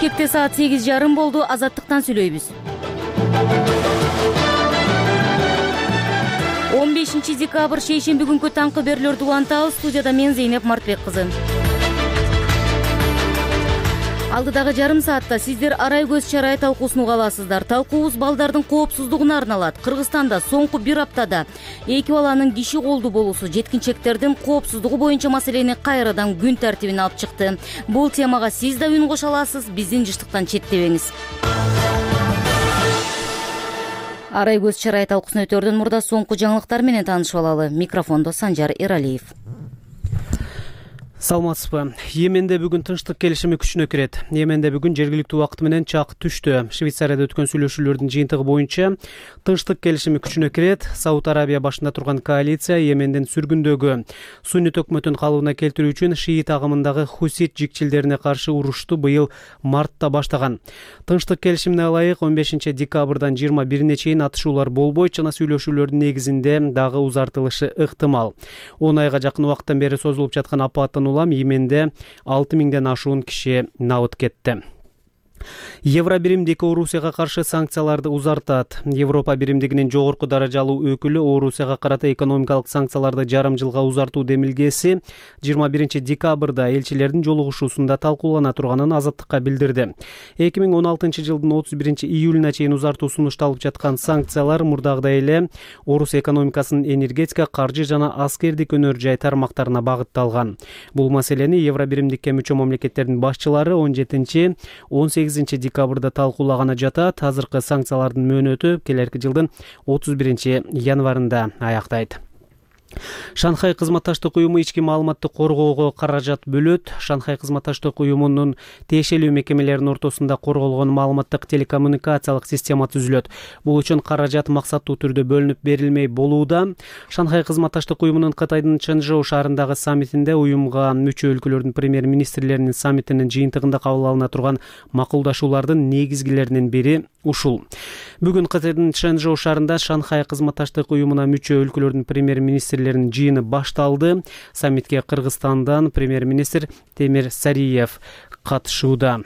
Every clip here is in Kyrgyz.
Бишкекте саат 8:30 болду. Азаттыктан сүйлөйбүз. 15 декабрь шейшемби күнкү таңкы берүүлөрдү улантабыз. Студияда мен Зейнеп Мартбек кызы. Алдыдагы жарым саатта сиздер арай көз чарай талкуусун уга аласыздар. Талкуубуз балдардын коопсуздугуна арналат. Кыргызстанда соңку бир аптада эки баланын киши колду болуусу жеткинчектердин коопсуздугу боюнча маселени кайрадан күн тартибине алып чыкты. Бул темага сиз да үн кошо аласыз. Биздин жыштыктан четтебеңиз. Арай көз чарай талкуусун өтөрдөн мурда соңку жаңылыктар менен таанышып алалы. Микрофондо Санжар Эралиев. Саламатсызбы. Йеменде бүгүн тынчтык келишими күчүнө кирет. Йеменде бүгүн жергиликтүү убакыт менен чак түштү. Швейцарияда өткөн сүйлөшүүлөрдүн жыйынтыгы боюнча тынчтык келишими күчүнө кирет. Сауд Арабия башында турган коалиция Йемендин сүргүндөгү суннит өкмөтүн калыбына келтирүү үчүн шиит агымындагы хусит жикчилдерине каршы урушту быйыл мартта баштаган. Тынчтык келишимине ылайык 15 декабрдан 21-ине чейин атышуулар болбойт жана сүйлөшүүлөрдүн негизинде дагы узартылышы ыктымал. 10 айга жакын убакыттан бери созулуп жаткан апаттан Йеменде 6000ден ашуун киши набыт кетти. Евро биримдик Орусияга каршы санкцияларды узартат. Европа биримдигинин жогорку даражалуу өкүлү Орусияга карата экономикалык санкцияларды жарым жылга узартуу демилгеси 21 декабрда элчилердин жолугушуусунда талкуулана турганын Азаттыкка билдирди. 2016 жылдын 31 июлуна чейин узартуу сунушталып жаткан санкциялар мурдагыдай эле Орус экономикасынын энергетика, каржы жана аскердик өнөр жай тармактарына багытталган. Бул маселени Евро биримдикке мүчө мамлекеттердин башчылары 17-18 декабрда талкуулаганы жатат. Азыркы санкциялардын мөөнөтү келерки жылдын 31 январында аяктайт. Шанхай кызматташтык уюму ички маалыматты коргоого каражат бөлөт. Шанхай кызматташтык уюмунун тиешелүү мекемелеринин ортосунда корголгон маалыматтык телекоммуникациялык система түзүлөт. Бул үчүн каражат максаттуу түрдө бөлүнүп берилмей болууда. Шанхай кызматташтык уюмунун Кытайдын Чэнчжоу шаарындагы саммитинде уюмга мүчө өлкөлөрдүн премьер-министрлеринин саммитинин жыйынтыгында кабыл алына турган макулдашуулардын негизгилеринин бири ушул. Бүгүн Кытайдын Чэнчжоу шаарында Шанхай кызматташтык уюмуна мүчө өлкөлөрдүн премьер-министрлеринин жыйыны башталды. Саммитке Кыргызстандан премьер-министр Темир Сариев катышууда.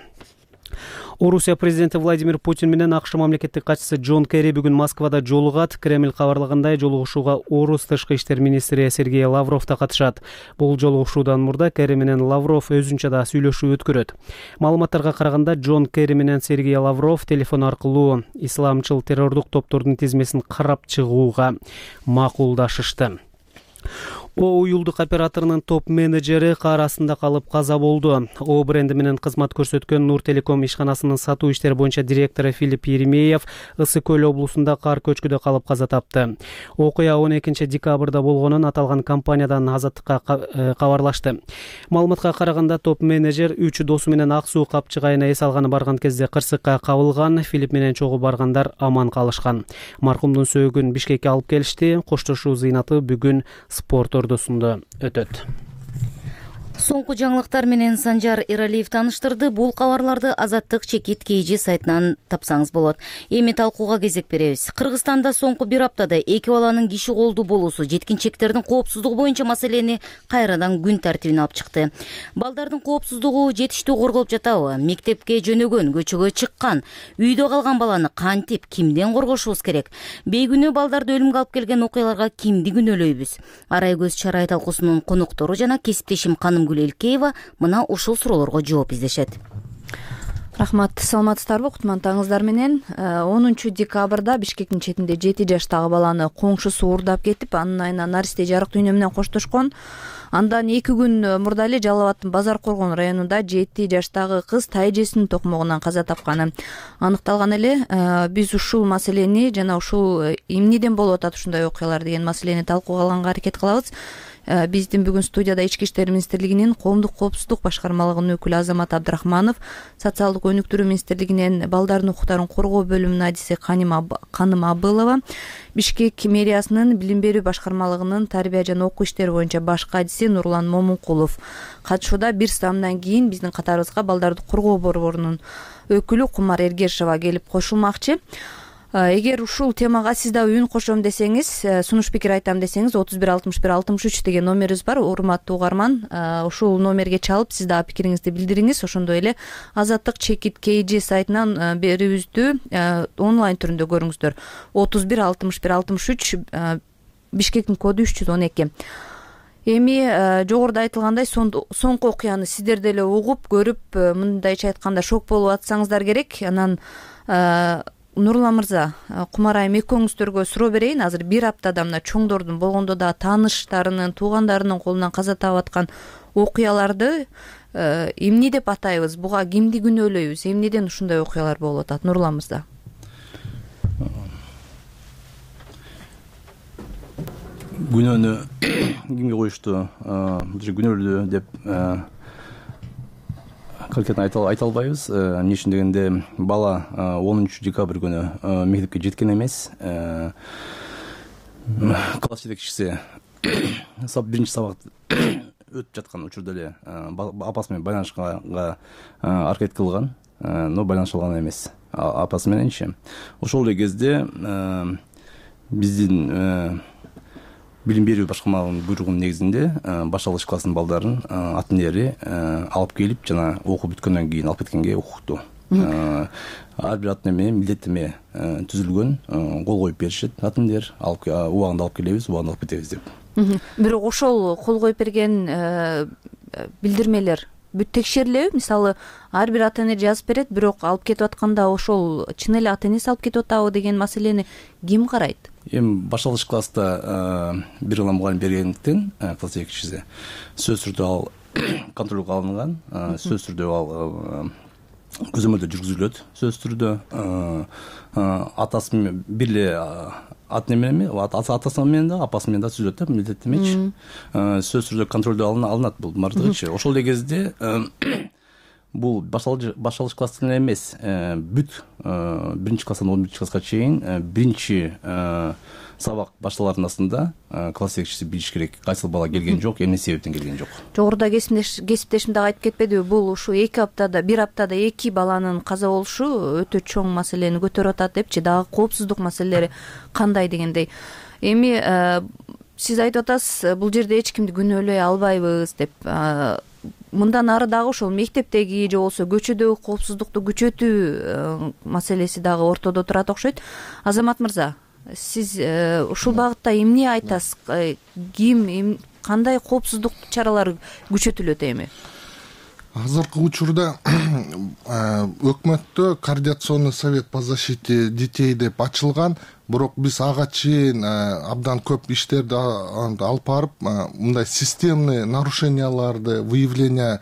Орусия президенти Владимир Путин менен АКШ мамлекеттик катчысы Джон Керри бүгүн Москвада жолугат. Кремль кабарлагандай, жолугушууга Орус тышкы иштер министри Сергей Лавров да катышат. Бул жолугушуудан мурда Керри менен Лавров өзүнчө да сүйлөшүү өткөрөт. Маалыматтарга караганда, Джон Керри менен Сергей Лавров телефон аркылуу исламчыл террордук топтордун тизмесин карап чыгууга макулдашышты. О уюлдук операторунун топ менеджери кар астында калып каза болду. О бренди менен кызмат көрсөткөн Нур Телеком ишканасынын сатуу иштери боюнча директору Филипп Еремеев Ысык көл облусунда кар көчкүдө калып каза тапты. Окуя 12 декабрда болгонун аталган компаниядан Азаттыкка кабарлашты. Маалыматка караганда, топ менеджер 3 досу менен Ак суу капчыгайына эс алганы барган кезде кырсыкка кабылган. Филипп менен чогуу баргандар аман калышкан. Маркумдун сөөгүн Бишкекке алып келишти. Коштошуу зыйнаты бүгүн спорт ордосунда өтөт. Соңку жаңылыктар менен Санжар Эралиев тааныштырды. Бул кабарларды Азаттык чекит KG сайтынан тапсаңыз болот. Эми талкууга кезек беребиз. Кыргызстанда соңку бир аптада эки баланын киши колду болуусу жеткинчектердин коопсуздугу боюнча маселени кайрадан күн тартибине алып чыкты. Балдардын коопсуздугу жетиштүү корголуп жатабы? Мектепке жөнөгөн, көчөгө чыккан, үйдө калган баланы кантип, кимден коргошубуз керек? Бейгүнөө балдарды өлүмгө алып келген окуяларга кимди күнөөлөйбүз? Арай көз чарай талкуусунун коноктору жана кесиптешим Каным Илкеева мына ушул суроолорго жооп издешет. Рахмат, саламатсыздарбы? Кутмандыгыңыздар менен 10 декабрда Бишкектин четинде 7 жаштагы баланы коңшусу уурдап кетип, анын айына наристе жарык дүйнө менен коштошкон. Андан 2 күн мурда эле Жалал абаддын Базар Коргон районунда 7 жаштагы кыз тай эжесинин токмогунан каза тапканы аныкталган эле. Биз ушул маселени жана ушул эмнеден болуп атат ушундай окуялар деген маселени талкууга алганга аракет кылабыз. Биздин бүгүн студияда Ички иштер министрлигинин коомдук коопсуздук башкармалыгынын өкүлү Азамат Абдрахманов, социалдык өнүктүрүү министрлигинен балдардын укуктарын коргоо бөлүмүнүн адиси Каным Абылова, Бишкек мэриясынын билим берүү башкармалыгынын тарбия жана окуу иштери боюнча башкы адиси Нурлан Момункулов катышууда. Бир саамдан кийин биздин катарыбызга балдарды коргоо борборунун өкүлү Кумар Эргешова келип кошулмакчы. Эгер ушул темага сиз дагы үн кошом десеңиз, сунуш пикир айтам десеңиз 31 61 63 деген номерибиз бар. Урматтуу угарман, ушул номерге чалып сиз дагы пикириңизди билдириңиз. Ошондой эле Азаттык чекит KG сайтынан берүүбүздү онлайн түрүндө көрүңүздөр. 31 61 63 Бишкектин коду 312. Эми жогоруда айтылгандай соңку окуяны сиздер деле угуп, көрүп, мындайча айтканда шок болуп атсаңыздар керек. Анан Нурлан мырза, Кумар айым экөөңүздөргө суроо берейин. Азыр бир аптада мына чоңдордун болгондо да тааныштарынын, туугандарынын колунан каза таап аткан окуяларды эмне деп атайбыз? Буга кимди күнөөлөйбүз? Эмнеден ушундай окуялар болуп атат? Нурлан мырза. Күнөөнү кимге коюшту, күнөөлүү деп конкретно айта албайбыз. Эмне үчүн дегенде, бала 10 декабрь күнү мектепке жеткен эмес. Класс жетекчиси биринчи сабакты өтүп жаткан учурда эле апасы менен байланышка аракет кылган, но байланыша алган эмес апасы мененчи. Ошол эле кезде биздин билим берүү башкармалыгынын буйругунун негизинде башталгыч класстын балдарын ата энелери алып келип, жана окуу бүткөндөн кийин алып кеткенге укукту. Ар бир ата эне менен милдеттеме түзүлгөн, кол коюп беришет. Ата энелер убагында алып келебиз, убагында алып кетебиз деп. Бирок ошол кол коюп берген билдирмелер бүт текшерилеби? Мисалы, ар бир ата эне жазып берет, бирок алып кетип атканда ошол чын эле ата энеси алып кетип атабы деген маселени ким карайт? Эми башталгыч класста бир гана мугалим бергендиктен класс жетекчиси сөзсүз түрдө ал контролго алынган, сөзсүз түрдө ал көзөмөлдө жүргүзүлөт. Сөзсүз түрдө атасы менен бир эле ата эне менен, атасы менен да, апасы менен да түзүлөт да, милдеттемечи. Сөзсүз түрдө контролдо алынат бул бардыгычы. Ошол эле кезде бул башталгыч класстан эмес, бүт биринчи класстан 11 класска чейин биринчи сабак башталарындасында класс жетекчиси билиш керек, кайсыл бала келген жок, эмне себептен келген жок. Жогоруда кесиптешим дагы айтып кетпедиби? Бул ушу бир аптада 2 баланын каза болушу өтө чоң маселени көтөрүп атат депчи. Дагы коопсуздук маселелери кандай дегендей. Эми сиз айтып атасыз, бул жерде эч кимди күнөөлөй албайбыз деп. Мындан ары дагы ошол мектептеги же болбосо көчөдөгү коопсуздукту күчөтүү маселеси дагы ортодо турат окшойт. Азамат мырза, сиз ушул багытта эмне айтасыз? Кандай коопсуздук чаралары күчөтүлөт эми? Азыркы учурда өкмөттө координационный совет по защите детей деп ачылган, бирок биз ага чейин абдан көп иштерди алып барып, мындай системный нарушенияларды выявление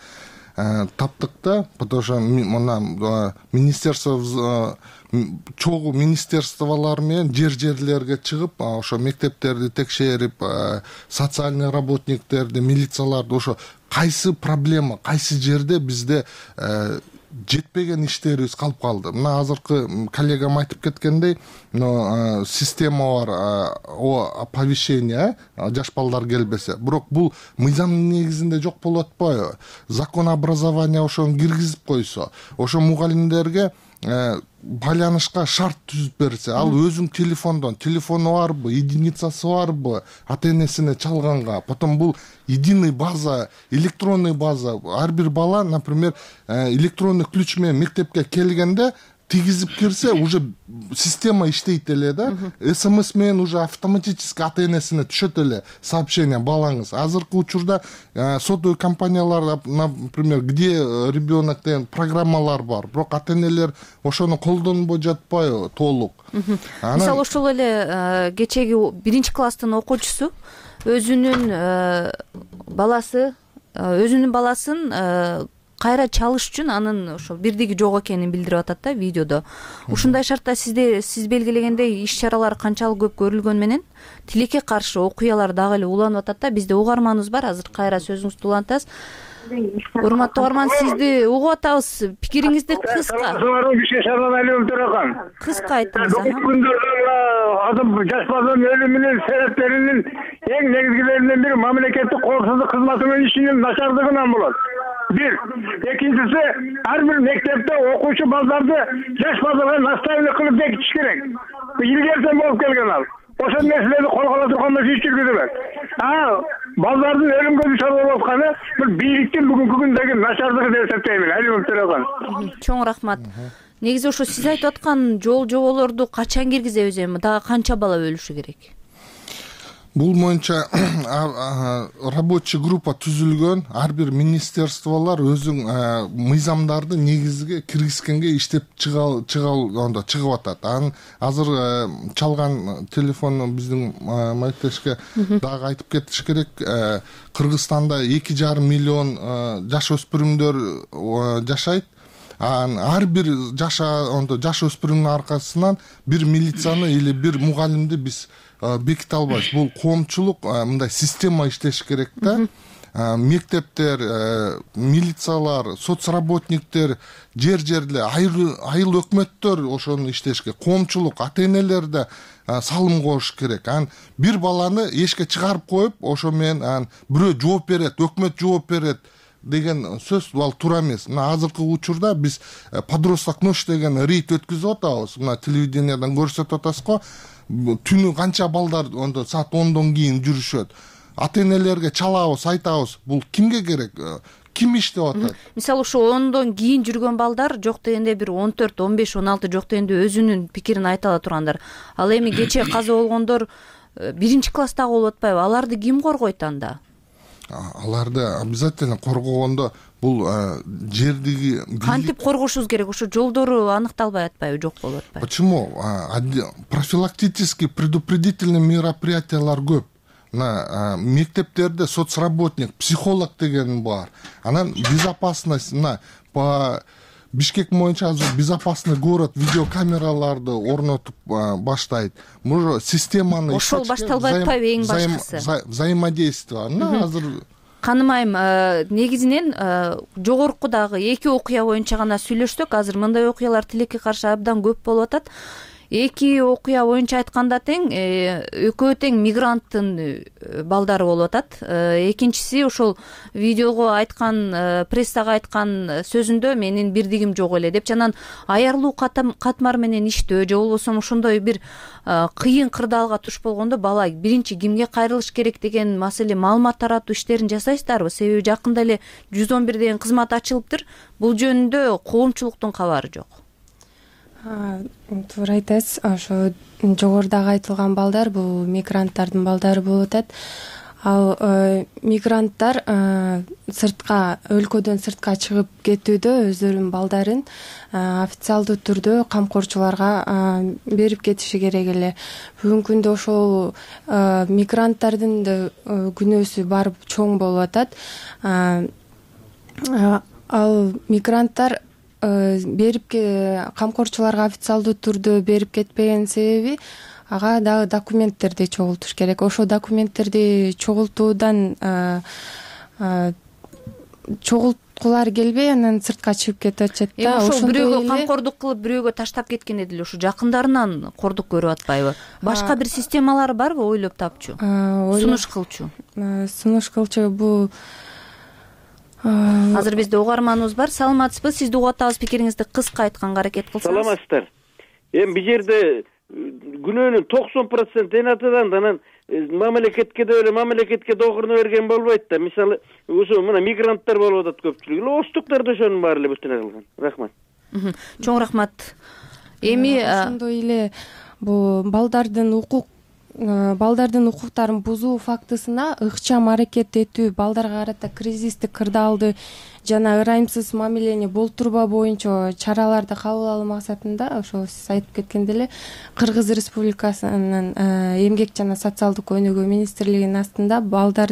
таптык да, потому что мына министерство чогуу министерстволор менен жерлерге чыгып, ошо мектептерди текшерип, социальный работниктерди, милицияларды, ошо кайсы проблема, кайсы жерде бизде жетпеген иштерибиз калып калды. Мына азыркы коллегам айтып кеткендей, система бар, оповещение, жаш балдар келбесе. Бирок бул мыйзамдын негизинде жок болуп атпайбы? Закон образования ошону киргизип койсо, ошо мугалимдерге байланышка шарт түзүп берсе, ал өзүнүн телефону барбы, единицасы барбы, ата энесине чалганга, потом бул единый база, электронный база, ар бир бала, например, электронный ключ менен мектепке келгенде тигизип кирсе, уже система иштейт эле да, СМС менен уже автоматически ата энесине түшөт эле сообщение балаңыз. Азыркы учурда сотовый компаниялар, например, где ребенок деген программалар бар, бирок ата энелер ошону колдонбой жатпайбы толук. Мисалы ошол эле кечеги 1 класстын окуучусу өзүнүн баласын кайра чалыш үчүн анын ошо бирдиги жок экенин билдирип атат да видеодо. Ушундай шартта сиз белгилегендей иш чаралар канчалык көп көрүлгөн менен тилекке каршы окуялар дагы эле уланып атат да. Бизде угарманыбыз бар, азыр кайра сөзүңүздү улантасыз. Урматтуу угарман, сизди угуп атабыз. Пикириңизди кыска. Кыска айтыңыз. Жаш баланын өлүмүнүн себептеринин эң негизгилеринен бири мамлекеттик коопсуздук кызматынын ишинин начардыгынан болот. Бир. Экинчиси, ар бир мектепте окуучу балдарды жаш балдарга наставник кылып бекитиш керек. илгерсен болуп келген ал. Ошол нерселерди колго ала турган эмес иш жүргүзүлөт. Балдардын өлүмгө дучар болуп атканы бул бийликтин бүгүнкү күндөгү начардыгы деп эсептеймин. Алимов Төрөгөн. Чоң рахмат. Негизи ошо сиз айтып аткан жол жоболорду качан киргизебиз, эми дагы канча бала өлүшү керек? Бул боюнча рабочий группа түзүлгөн, ар бир министерстволор өзүнүн мыйзамдарды негизге киргизгенге иштеп чыгып атат. Анан азыр чалган телефонду биздин маектешке дагы айтып кетиш керек. Кыргызстанда 2,5 миллион жаш өспүрүмдөр жашайт. Ар бир жаш өспүрүмдүн аркасынан бир милицияны или бир мугалимди биз беките албайбыз. Бул коомчулук мындай система иштеш керек да. Мектептер, милициялар, соцработниктер, жер-жерде айыл өкмөттөр ошону иштешке, коомчулук, ата-энелер да салым коюш керек. Бир баланы эшикке чыгарып коюп, ошо менен бирөө жооп берет, өкмөт жооп берет деген сөз ал туура эмес. Мына азыркы учурда биз подросток ночь деген рейд өткүзүп атабыз. Мына телевидениядан көрсөтүп атасыз го. Түнү канча балдар саат 10дон кийин жүрүшөт. Ата-энелерге чалабыз, айтабыз. Бул кимге керек? Ким иштеп атат? Мисалы ушу 10дон кийин жүргөн балдар жок дегенде бир 14, 15, 16 жок дегенде өзүнүн пикирин айта ала тургандар. Ал эми кечээ каза болгондор 1 класстагы болуп атпайбы? Аларды ким коргойт анда? Аларды обязательно коргогондо бул жердиги кантип коргошубуз керек? Ошо жолдору аныкталбай атпайбы, жок болуп атпайбы? Почему? Профилактический предупредительный мероприятиялар көп. Мына мектептерде соцработник, психолог деген бар. Анан безопасность, по Бишкек боюнча азыр безопасный город видеокамераларды орнотуп баштайт. Может, системаны ошол башталбай атпайбы эң башкысы? Взаимодействие. Азыр Каным айым, негизинен жогоркудагы 2 окуя боюнча гана сүйлөшсөк, азыр мындай окуялар тилекке каршы абдан көп болуп атат. 2 окуя боюнча айтканда тең, экөө тең мигранттын балдары болуп атат. Экинчиси ошол видеого айткан, прессага айткан сөзүндө менин бирдигим жок эле деп, жанан аярлуу катмар менен иштөө же болбосо ошондой бир кыйын кырдаалга туш болгондо бала биринчи кимге кайрылыш керек деген маселе маалымат таратуу иштерин жасайсыздарбы? Себеби жакында эле 111 деген кызмат ачылыптыр. Бул жөнүндө коомчулуктун кабары жок. Туура айтасыз. Ошо жогорудагы айтылган балдар бул мигранттардын балдары болуп атат. Ал мигранттар сыртка, өлкөдөн сыртка чыгып кетүүдө өздөрүнүн балдарын официалдуу түрдө камкорчуларга берип кетиши керек эле. Бүгүнкү күндө ошол мигранттардын да күнөөсү барып чоң болуп атат. Ал мигранттар берип камкорчуларга официалдуу түрдө берип кетпеген себеби ага дагы документтерди чогултуш керек. Ошо документтерди чогултуудан чогулткулары келбей анан сыртка чыгып кетип атышат да. Ошо бирөөгө камкордук кылып, бирөөгө таштап кеткенде деле ошо жакындарынан кордук көрүп атпайбы? Башка бир системалары барбы ойлоп тапчу? Сунуш кылчу? Сунуш кылчу бул азыр бизде угарманыбыз бар. Саламатсызбы? Сизди угуп атабыз, пикириңизди кыска айтканга аракет кылсаңыз. Саламатсыздар. Эми бул жерде күнөөнүн 90% энатыдан, анан мамлекетке да эле мамлекетке догуруна берген болбойт да. Мисалы, ошо мына мигранттар болуп атат көпчүлүгү. Оштуктар да ошонун баары эле бүтүнө кылган. Рахмат. Чоң рахмат. Эми ошондой эле бул балдардын укуктарын бузуу фактысына ыкчам аракет этүү, балдарга карата кризистик кырдаалды жана ырайымсыз мамилени болтурбоо боюнча чараларды кабыл алуу максатында ошо сиз айтып кеткендей эле Кыргыз Республикасынын эмгек жана социалдык өнүгүү министрлигинин астында балдар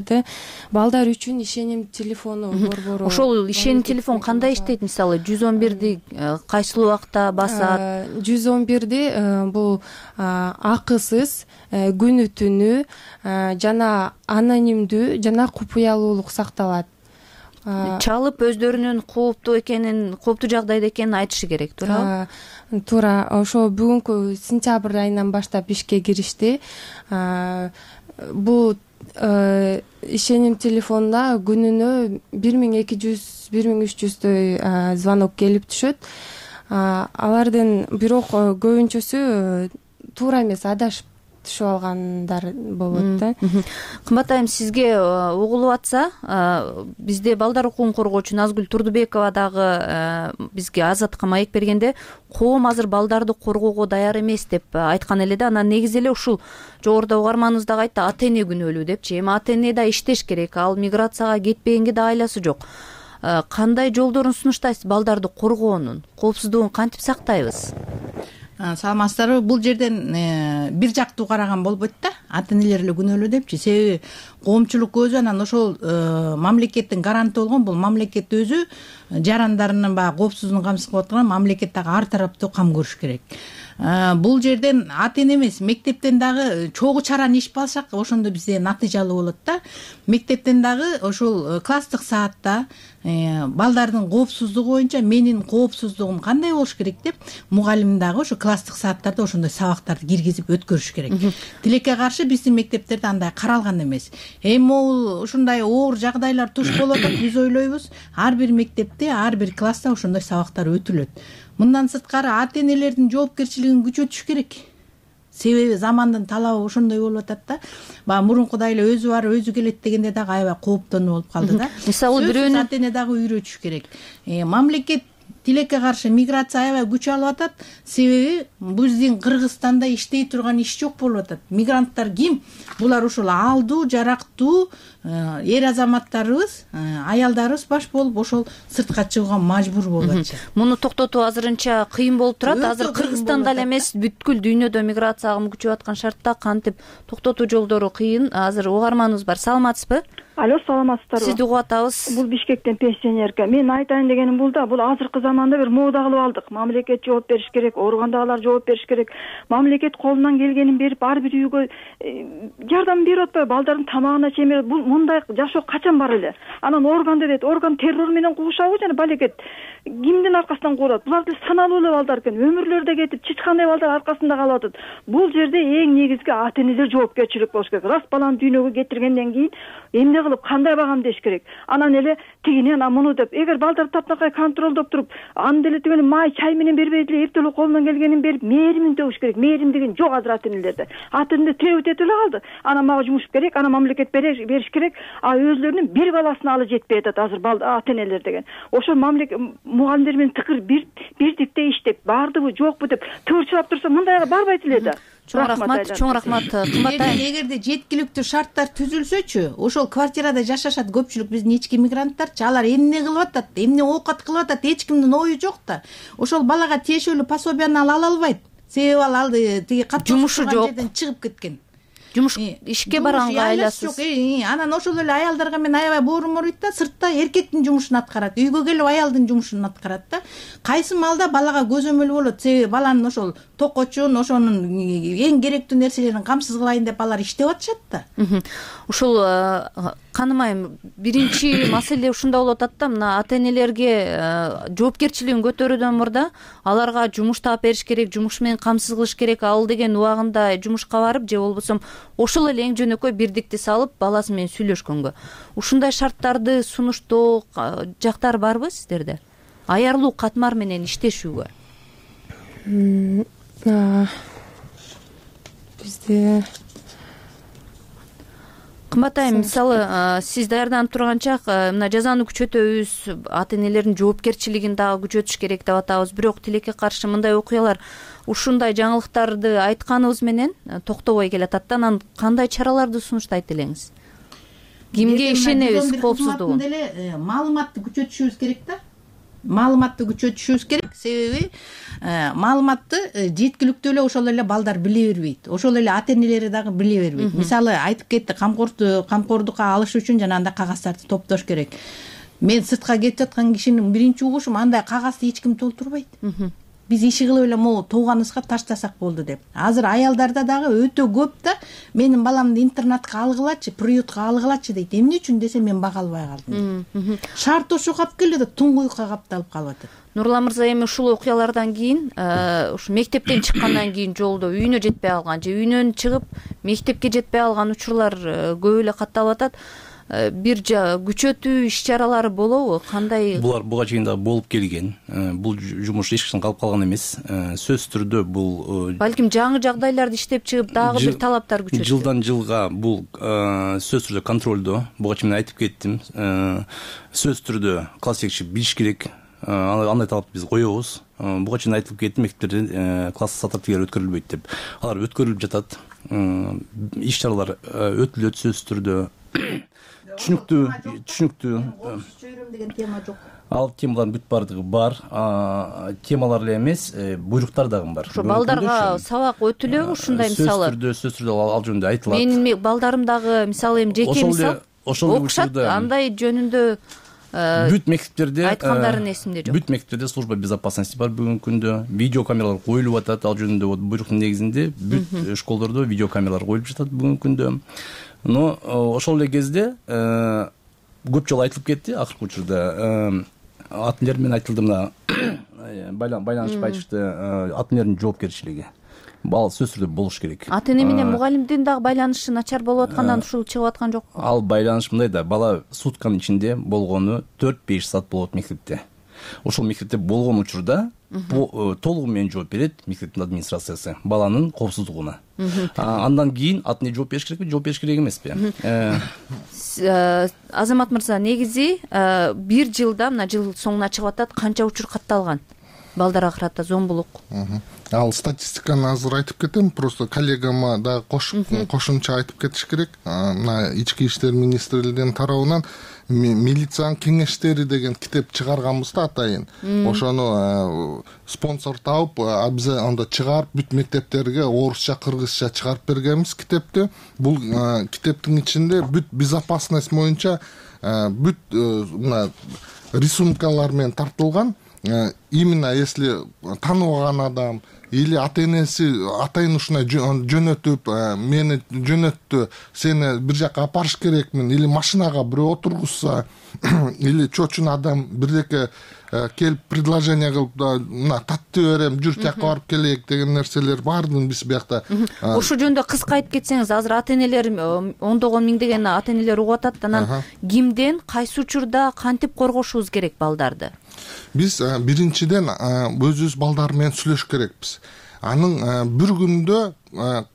үчүн ишеним телефону борбору. Ошол ишеним телефон кандай иштейт? Мисалы 111ди кайсыл убакта басат? 111ди бул акысыз, күнү түнү жана анонимдүү жана купуялуулук сакталат. Чалып өздөрүнүн кооптуу жагдайда экенин айтышы керек, туурабы? Туура. Ошо бүгүнкү сентябрь айынан баштап ишке киришти. Бул ишеним телефонуна күнүнө 1200-1300 звонок келип түшөт. Алардын бирок көбүнчөсү туура эмес адашып түшүп алгандар болот да. Кымбат айым, сизге угулуп атса, бизде балдар укугун коргоочу Назгүл Турдубекова дагы бизге Азатка маек бергенде коом азыр балдарды коргоого даяр эмес деп айткан эле да. Анан негизи эле ушул жогоруда угарманыбыз дагы айтты, ата эне күнөөлүү депчи. Эми ата эне да иштеш керек, ал миграцияга кетпегенге да айласы жок. Кандай жолдорун сунуштайсыз балдарды коргоонун, коопсуздугун кантип сактайбыз? Саламатсыздарбы? Бул жерден бир жактуу караган болбойт да, ата энелер эле күнөөлүү депчи. Себеби коомчулук өзү анан ошол мамлекеттин гаранты болгон, бул мамлекет өзү жарандарынын баягы коопсуздугун камсыз кылып аткан, мамлекет дагы ар тараптуу кам көрүш керек. Бул жерден ата эне эмес, мектептен дагы чогуу чараны ишип алсак, ошондо бизде натыйжалуу болот да. Мектептен дагы ошол класстык саатта балдардын коопсуздугу боюнча менин коопсуздугум кандай болуш керек деп мугалим дагы ошо класстык сааттарда ошондой сабактарды киргизип өткөрүш керек. Тилекке каршы биздин мектептерде андай каралган эмес. Эми могул ушундай оор жагдайлар туш болуп атат, биз ойлойбуз ар бир мектепте, ар бир класста ошондой сабактар өтүлөт. Мындан сырткары ата энелердин жоопкерчилигин күчөтүш керек. Себеби замандын талабы ошондой болуп атат да. Баягы мурункудай эле өзү бар, өзү келет дегенде дагы аябай кооптонуу болуп калды да. Мисалы бирөөнүн ата эне дагы үйрөтүш керек. Мамлекет тилекке каршы миграция аябай күч алып атат. Себеби биздин Кыргызстанда иштей турган иш жок болуп атат. Мигранттар ким? Булар ушул алдуу, жарактуу эр азаматтарыбыз, аялдарыбыз баш болуп ошол сыртка чыгууга мажбур болуп атышат. Муну токтотуу азырынча кыйын болуп турат. Азыр Кыргызстанда эле эмес, бүткүл дүйнөдө миграция агымы күчөп аткан шартта кантип токтотуу жолдору кыйын. Азыр угарманыбыз бар. Саламатсызбы? Алло, саламатсыздарбы? Сизди угуп атабыз. Бул Бишкектен пенсионерка. Мен айтайын дегеним бул да, бул азыркы заманда бир мода кылып алдык. Мамлекет жооп бериш керек, ооругандагылар жооп бериш керек. Мамлекет колунан келгенин берип, ар бир үйгө жардам берип атпайбы? Балдардын тамагына чейин бул мындай жашоо качан бар эле? Анан орган дедет, орган террор менен кугушабы жана балекет кимдин аркасынан курат? Булар саналуу эле балдар экен. Өмүрлөрдө кетип, чычкандай балдар аркасында калып атат. Бул жерде эң негизги ата энелер жоопкерчилик болуш керек. Рас баланы дүйнөгө кетиргенден кийин эмне кылып кандай багамдеш керек? Анан эле тигини анан муну деп, эгер балдар таптакай контролдоп туруп, аны деле тигини май чай менен бербей деле эртелүү колунан келгенин берип, мээримин төгүш керек. Мээрим деген жок азыр ата энелерде. Ата энелер тебит этип эле калды. Анан мага жумуш керек, анан мамлекет бериш керек. Өзлөрүнүн бир баласын алы жетпей атат азыр ата энелер деген. Ошол мамлекет мугалимдер менен тыкыр бирдикте иштеп, бардыбы, жокпу деп тыгырчылап турса мындайга барбайт эле да. Чоң рахмат. Эгерде жеткиликтүү шарттар түзүлсөчү, ошол квартирада жашашат көпчүлүк биздин ички мигранттарчы, алар эмне кылып атат, эмне оокат кылып атат, эч кимдин ою жок да. Ошол балага тиешелүү пособияны ала албайт. Себеби ал тиги катчуу жерден чыгып кеткен. Жумуш ишке барганга айласыз. Анан ошол эле аялдарга мен аябай боорум ооруйт да, сыртта эркектин жумушун аткарат, үйгө келип аялдын жумушун аткарат да. Кайсы маалда балага көзөмөл болот, себеби баланын ошол токочун, ошонун эң керектүү нерселерин камсыз кылайын деп алар иштеп атышат да. Ушул каным айым, биринчи маселе ушунда болуп атат да, мына ата энелерге жоопкерчилигин көтөрүүдөн мурда аларга жумуш таап бериш керек, жумуш менен камсыз кылыш керек. Ал деген убагында жумушка барып же болбосо ошол эле эң жөнөкөй бирдикти салып баласы менен сүйлөшкөнгө. Ушундай шарттарды сунуштоо жактар барбы сиздерде? Аярлуу катмар менен иштешүүгө. Бизде Кымбат айым, мисалы сиз даярданып турганча мына жазаны күчөтөбүз, ата энелердин жоопкерчилигин дагы күчөтүш керек деп атабыз. Бирок тилекке каршы мындай окуялар, ушундай жаңылыктарды айтканыбыз менен токтобой келатат да. Анан кандай чараларды сунуштайт элеңиз? Кимге ишенебиз коопсуздугун? Маалыматты күчөтүшүбүз керек да. Маалыматты күчөтүшүбүз керек. Себеби маалыматты жеткиликтүү эле ошол эле балдар биле бербейт. Ошол эле ата энелери дагы биле бербейт. Мисалы айтып кетти, камкордукка алыш үчүн жанагындай кагаздарды топтош керек. Мен сыртка кетип жаткан кишинин биринчи угушум андай кагазды эч ким толтурбайт. Биз иши кылып эле могу тууганыбызга таштасак болду деп. Азыр аялдарда дагы өтө көп да менин баламды интернатка алгылачы, приютка алгылачы дейт. Эмне үчүн десе мен бага албай калдым. Шарт ошо калып келди, туңгуюкка капталып калып атат. Нурлан мырза, эми ушул окуялардан кийин, ушу мектептен чыккандан кийин жолдо үйүнө жетпей калган же үйүнөн чыгып мектепке жетпей калган учурлар көп эле катталып атат. бир күчөтүү иш чаралары болобу, кандай? Булар буга чейин дагы болуп келген. Бул жумуш эч качан калып калган эмес. Сөзсүз түрдө бул балким жаңы жагдайларды иштеп чыгып дагы бир талаптар күчөтүлөт. Жылдан жылга бул сөзсүз түрдө контролдо. Буга чейин айтып кеттим. Сөзсүз түрдө класс жетекчи билиш керек. Андай талапты биз коебуз. Буга чейин айтылып кетти, мектептерде класс сататтыгер өткөрүлбөйт деп. Алар өткөрүлүп жатат. Иш чаралар өтүлөт сөзсүз түрдө. Түшүнүктүү. Чөйрөм деген тема жок. Ал темалардын бүт бардыгы бар. Темалар эле эмес, буйруктар дагы бар. Ошо балдарга сабак өтүлөбү ушундай мисалы? Сөзсүз түрдө ал жөнүндө айтылат. Менин балдарым дагы мисалы эми жеке мисал окушат, андай жөнүндө бүт мектептерде айткандарын эсимде жок. Бүт мектептерде служба безопасности бар бүгүнкү күндө. Видеокамералар коюлуп атат. Ал жөнүндө вот буйруктун негизинде бүт школдордо видеокамералар коюлуп жатат бүгүнкү күндө. Но ошол эле кезде көп жолу айтылып кетти акыркы учурда. Ата энелер менен айтылды, мына байланышып айтышты, ата энелердин жоопкерчилиги. Бала сөзсүз түрдө болуш керек. Ата эне менен мугалимдин дагы байланышы начар болуп аткандан ушул чыгып аткан жокпу? Ал байланыш мындай да, бала сутканын ичинде болгону 4-5 саат болот мектепте. Ошол мектепте болгон учурда толугу менен жооп берет мектептин администрациясы баланын коопсуздугуна. Андан кийин ата эне жооп бериш керекпи, жооп бериш керек эмеспи? Азамат мырза, негизи бир жылда, мына жыл соңуна чыгып атат, канча учур катталган балдарга карата зомбулук? Ал статистиканы азыр айтып кетем, просто коллегама дагы кошумча айтып кетиш керек. Мына ички иштер министрлигинин тарабынан милициянын кеңештери деген китеп чыгарганбыз да атайын. Ошону спонсор тауып, биз анда чыгарып бүт мектептерге орусча, кыргызча чыгарып бергенбиз китепти. Бул китептин ичинде бүт безопасность боюнча бүт мына рисункалар менен тартылган. Именно если тааныбаган адам или ата энеси атайын ушундай жөнөтүп, мени жөнөттү, сени бир жака апарыш керекмин, или машинага бирөө отургузса, или чочун адам бирдеке келип предложение кылып, мына татты берем, жүр тияка барып келейик деген нерселер баардыгын биз биякта. Ушул жөнүндө кыска айтып кетсеңиз, азыр ата энелер ондогон миңдеген ата энелер угуп атат, анан кимден, кайсы учурда кантип коргошубуз керек балдарды? Биз биринчиден өзүбүз балдар менен сүйлөшүш керекпиз. Анын бир күндө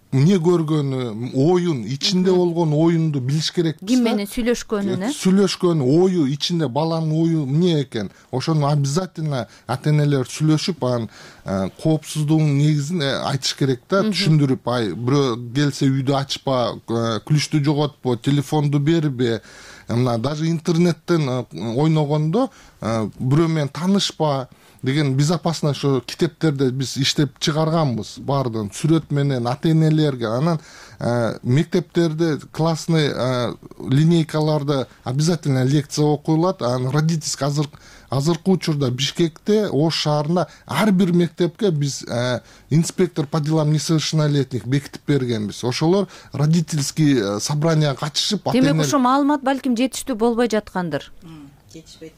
эмне көргөнү, оюн, ичинде болгон оюнду билиш керекпиз. Ким менен сүйлөшкөнү, ою ичинде баланын ою эмне экен, ошону обязательно ата энелер сүйлөшүп, анын коопсуздугунун негизин айтыш керек да, түшүндүрүп, бирөө келсе үйдү ачпа, күлүчтү жоготпо, телефонду бербе, мына даже интернеттен ойногондо бирөө менен таанышпа деген безопасность ошо китептерде биз иштеп чыгарганбыз баардыгын сүрөт менен ата энелерге. Анан мектептерде классный линейкаларда обязательно лекция окуйлат. Анан родительский азыркы учурда Бишкекте, Ош шаарында ар бир мектепке биз инспектор по делам несовершеннолетних бекитип бергенбиз. Ошолор родительский собранияга катышып, демек ошо маалымат балким жетиштүү болбой жаткандыр. Жетишпейт.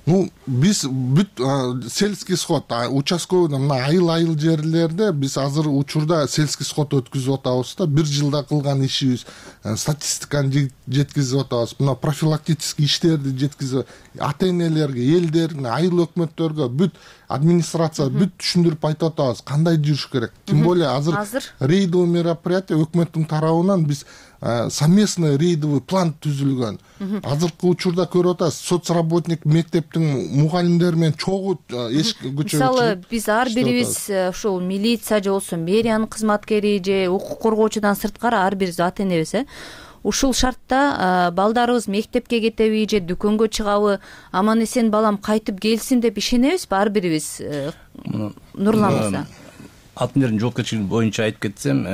Биз бүт сельский сход, участковый мына айыл жерлерде биз азыр учурда сельский сход өткүзүп атабыз да, бир жылда кылган ишибиз, статистиканы жеткизип атабыз. Мына профилактический иштерди жеткизип, ата энелерге, элдерге, айыл өкмөттөргө, бүт администрация бүт түшүндүрүп айтып атабыз, кандай жүрүш керек. Тем более азыр рейдовый мероприятие өкмөттүн тарабынан биз совместный рейдовый план түзүлгөн. Азыркы учурда көрүп атасыз, соцработник мектептин мугалимдери менен чогуу эшикке көчөрүп. Мисалы, биз ар бирибиз ушул милиция же болбосо мэриянын кызматкери же укук коргоочудан сырткары ар бирибиз ата энебиз, ушул шартта балдарыбыз мектепке кетеби же дүкөнгө чыгабы, аман эсен балам кайтып келсин деп ишенебизби ар бирибиз? Нурлан мырза. Ата энелердин жоопкерчилиги боюнча айтып кетсем,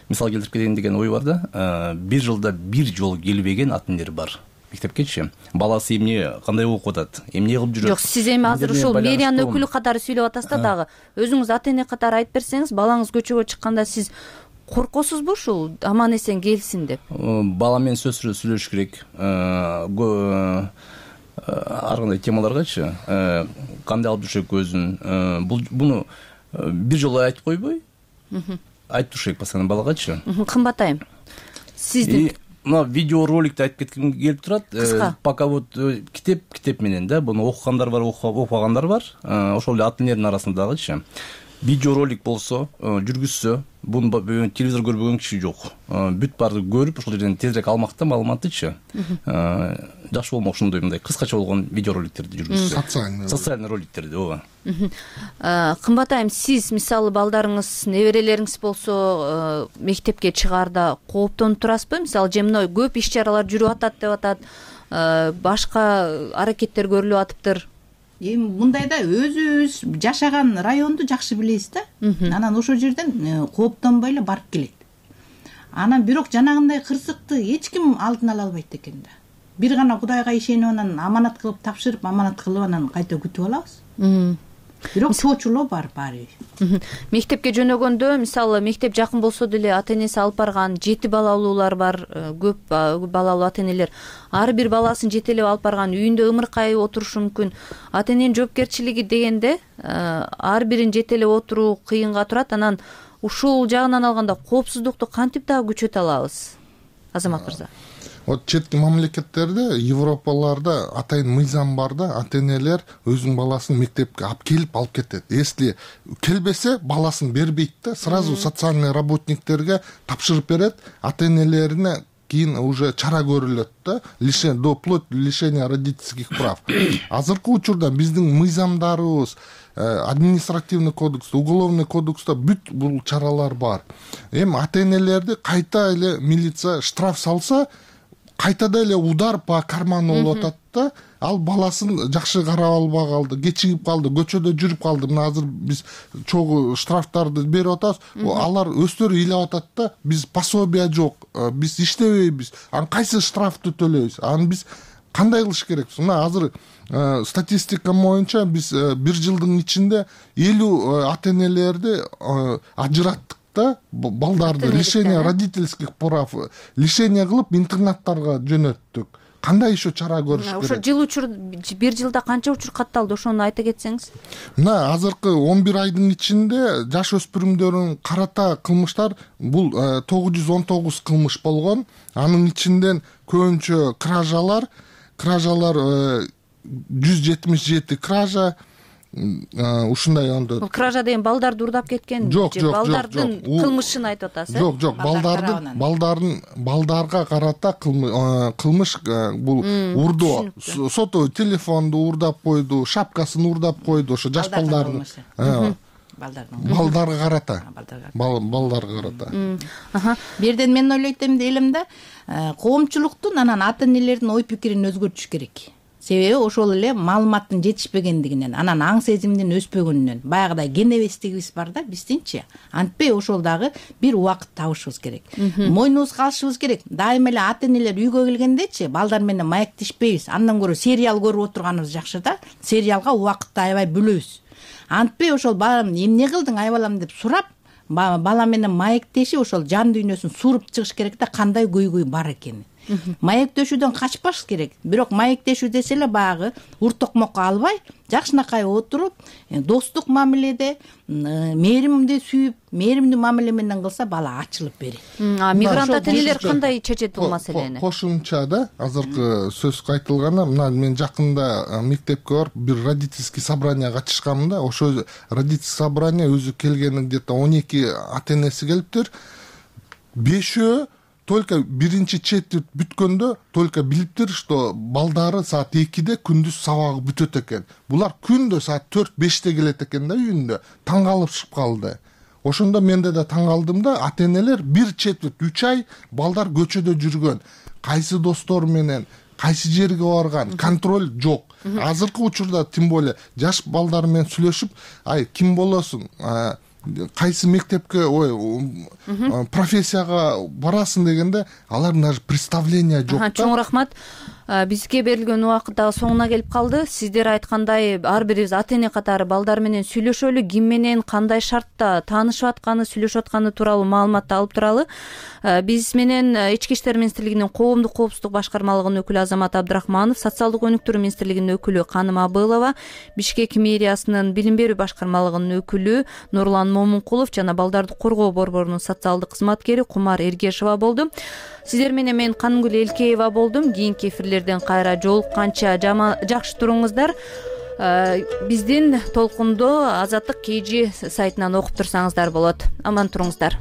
мисал келтирип кетейин деген ой бар да. Бир жылда бир жолу келбеген ата энелер бар мектепкечи. Баласы эмне, кандай окуп атат, эмне кылып жүрөт? Жок, сиз эми азыр ушул мэриянын өкүлү катары сүйлөп атасыз да дагы. Өзүңүз ата эне катары айтып берсеңиз, балаңыз көчөгө чыкканда сиз коркосузбу ушул аман эсен келсин деп? Бала менен сөзсүз сүйлөшүш керек. Ар кандай темаларгачы, кандай алып жүрүшөк өзүн. Буну бир жолу айтып койбой, айтып туруш керек постоянно балагачы. Кымбат айым, сиздин мына видеороликти айтып кетким келип турат. Пока вот китеп менен да буну окугандар бар, окубагандар бар. Ошол эле ата энелердин арасындагычы видеоролик болсо, жүргүзсө, буну телевизор көрбөгөн киши жок. Бүт баарды көрүп, ошол жерден тезирээк алмакта маалыматтычы. Жакшы болмок ушундай мындай кыскача болгон видеороликтерди жүргүзсө. Социальный роликтерди, ооба. Кымбат айым, сиз мисалы балдарыңыз, неберелериңиз болсо мектепке чыгаарда кооптонуп турасызбы? Мисалы жемной көп иш чаралар жүрүп атат деп атат, башка аракеттер көрүлүп атыптыр. Эми мындайда өзүбүз жашаган районду жакшы билебиз да. Анан ошол жерден кооптонбой эле барып келет. Анан бирок жанагындай кырсыкты эч ким алдын ала албайт экен да. Бир гана Кудайга ишенип анан аманат кылып тапшырып, аманат кылып анан кайта күтүп алабыз. Бирок чоочулоо бар баары. Мектепке жөнөгөндө, мисалы мектеп жакын болсо деле ата энеси алып барган 7 балалуулар бар, көп балалуу ата энелер ар бир баласын жетелеп алып барган, үйүндө ымыркай отурушу мүмкүн. Ата эненин жоопкерчилиги дегенде ар бирин жетелеп отуруу кыйынга турат. Анан ушул жагынан алганда коопсуздукту кантип дагы күчөтө алабыз, Азамат мырза? Вот четки мамлекеттерде, Европаларда атайын мыйзам бар да, ата энелер өзүнүн баласын мектепке алып келип алып кетет. Если келбесе, баласын бербейт да, сразу социальный работниктерге тапшырып берет, ата энелерине кийин уже чара көрүлөт да, до вплоть лишения родительских прав. Азыркы учурда биздин мыйзамдарыбыз, административный кодекс, уголовный кодекста бүт бул чаралар бар. Эми ата энелерди кайта эле милиция штраф салса, кайтада эле удар по карману болуп атат да, ал баласын жакшы карап албай калды, кечигип калды, көчөдө жүрүп калды. Мына азыр биз чогуу штрафтарды берип атабыз, алар өздөрү ыйлап атат да, биз пособие жок, биз иштебейбиз, анан кайсы штрафты төлөйбүз, анан биз кандай кылыш керекпиз? Мына азыр статистика боюнча биз бир жылдын ичинде 50 ата энелерди ажыраттык да, балдарды лишение родительских прав лишение кылып интернаттарга жөнөттүк. Кандай еще чара көрүш керек? Ошо жыл учур, бир жылда канча учур катталды, ошону айта кетсеңиз? Мына азыркы 11 айдын ичинде жаш өспүрүмдөрүн карата кылмыштар бул 919 кылмыш болгон. Анын ичинден көбүнчө кражалар 177 кража, ушундай ондо. Кража деген балдарды урдап кеткен, жок, балдардын кылмышын айтып атасыз? Жок, балдарга карата кылмыш бул урдоо. Соту телефонду урдап койду, шапкасын урдап койду, ошо жаш балдардын балдарга карата. Балдарга карата. Бирден мен ойлойт элем да, коомчулуктун анан ата энелердин ой пикирин өзгөртүш керек. Себеби ошол эле маалыматтын жетишпегендигинен, анан аң сезимдин өспөгөнүнөн, баягыдай кенебестигибиз бар да биздинчи. Антпей ошол дагы бир убакыт табышыбыз керек. Мойнубузга алышыбыз керек. Дайыма эле ата энелер үйгө келгендечи балдар менен маектешпейбиз. Андан көрө сериал көрүп отурганыбыз жакшы да. Сериалга убакытты аябай бөлөбүз. Антпей ошол балам эмне кылдың айбалам деп сурап, бала менен маектешип ошол жан дүйнөсүн суруп чыгыш керек да, кандай көйгөй бар экенин. Маектешүүдөн качпаш керек. Бирок маектешүү десе эле баягы уртокмокко албай, жакшынакай отуруп, достук мамиледе, мээримди сүйүп, мээримдүү мамиле менен кылса бала ачылып берет. Мигрант ата энелер кандай чечет бул маселени? Кошумча да, азыркы сөз айтылганы, мына мен жакында мектепке барып бир родительский собрание катышканмын да, ошо родительский собрание өзү келгени где-то 12 ата энеси келиптир. 5 только биринчи четверть бүткөндө только билиптир, что балдары саат 2-де күндүз сабагы бүтөт экен. Булар күндө саат 4-5-те келет экен да үйүндө. Таң калышып калды. Ошондо менде да таң калдым да, ата энелер бир четверть 3 ай балдар көчөдө жүргөн. Кайсы достор менен, кайсы жерге барган, контроль жок. Азыркы учурда тем более жаш балдар менен сүйлөшүп, ай ким болосуң? Кайсы мектепке, профессияга барасың дегенде, алардын даже представление жок да. Чоң рахмат. Бизге берилген убакыт дагы соңуна келип калды. Сиздер айткандай, ар бирибиз ата эне катары балдар менен сүйлөшөлү, ким менен кандай шартта таанышып атканы, сүйлөшүп атканы тууралуу маалыматты алып туралы. Биз менен Ички иштер министрлигинин коомдук коопсуздук башкармалыгынын өкүлү Азамат Абдрахманов, социалдык өнүктүрүү министрлигинин өкүлү Каным Абылова, Бишкек мэриясынын билим берүү башкармалыгынын өкүлү Нурлан Момункулов жана балдарды коргоо борборунун социалдык кызматкери Кумар Эргешова болду. Сиздер менен мен Каныгүл Элкеева болдум. Кийинки эфирлерден кайра жолукканча жакшы туруңуздар. Биздин толкунду Азаттык KG сайтынан окуп турсаңыздар болот. Аман туруңуздар.